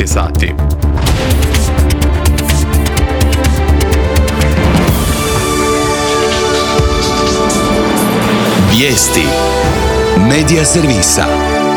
sati. Vijesti Medija servisa.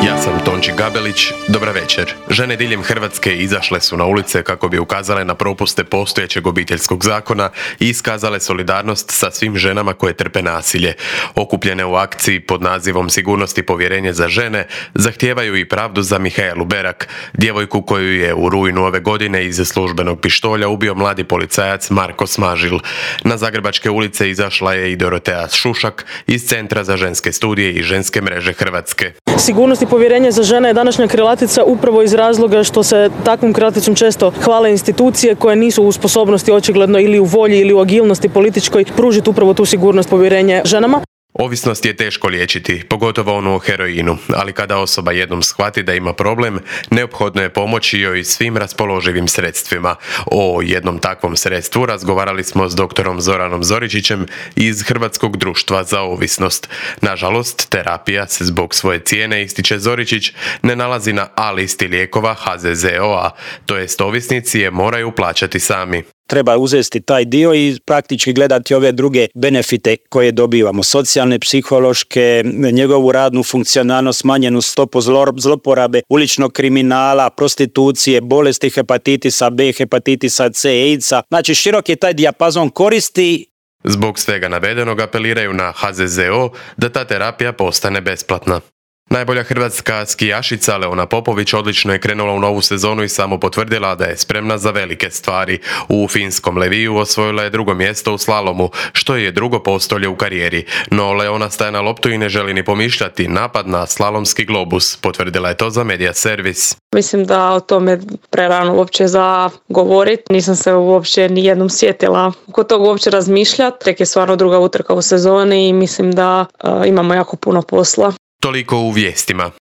Ja sam Tonči Gabelić, dobra večer. Žene diljem Hrvatske izašle su na ulice kako bi ukazale na propuste postojećeg obiteljskog zakona i iskazale solidarnost sa svim ženama koje trpe nasilje. Okupljene u akciji pod nazivom Sigurnost i povjerenje za žene zahtijevaju i pravdu za Mihaelu Berak, djevojku koju je u rujnu ove godine iz službenog pištolja ubio mladi policajac Marko Smažil. Na zagrebačke ulice izašla je i Dorotea Šušak iz Centra za ženske studije i ženske mreže Hrvatske. Sigurnost i povjerenje za žene je današnja krilatica upravo iz razloga što se takvom krilaticom često hvale institucije koje nisu u sposobnosti očigledno ili u volji ili u agilnosti političkoj pružiti upravo tu sigurnost, povjerenje ženama. Ovisnost je teško liječiti, pogotovo onu o heroinu, ali kada osoba jednom shvati da ima problem, neophodno je pomoći joj svim raspoloživim sredstvima. O jednom takvom sredstvu razgovarali smo s doktorom Zoranom Zoričićem iz Hrvatskog društva za ovisnost. Nažalost, terapija se zbog svoje cijene, ističe Zoričić, ne nalazi na A listi lijekova HZZO-a, to jest ovisnici je moraju plaćati sami. Treba uzeti taj dio i praktički gledati ove druge benefite koje dobivamo. Socijalne, psihološke, njegovu radnu funkcionalnost, smanjenu stopu zloporabe, uličnog kriminala, prostitucije, bolesti hepatitisa B, hepatitisa C, AIDS-a. Znači širok je taj dijapazon koristi. Zbog svega navedenog apeliraju na HZZO da ta terapija postane besplatna. Najbolja hrvatska skijašica Leona Popović odlično je krenula u novu sezonu i samo potvrdila da je spremna za velike stvari. U finskom Leviju osvojila je drugo mjesto u slalomu, što je drugo postolje u karijeri. No Leona staje na loptu i ne želi ni pomišljati napad na slalomski globus. Potvrdila je to za Medija servis. Mislim da o tome prerano uopće za govoriti. Nisam se uopće ni jednom sjetila oko toga uopće razmišljati. Tek je stvarno druga utrka u sezoni i mislim da imamo jako puno posla. Toliko u vijestima.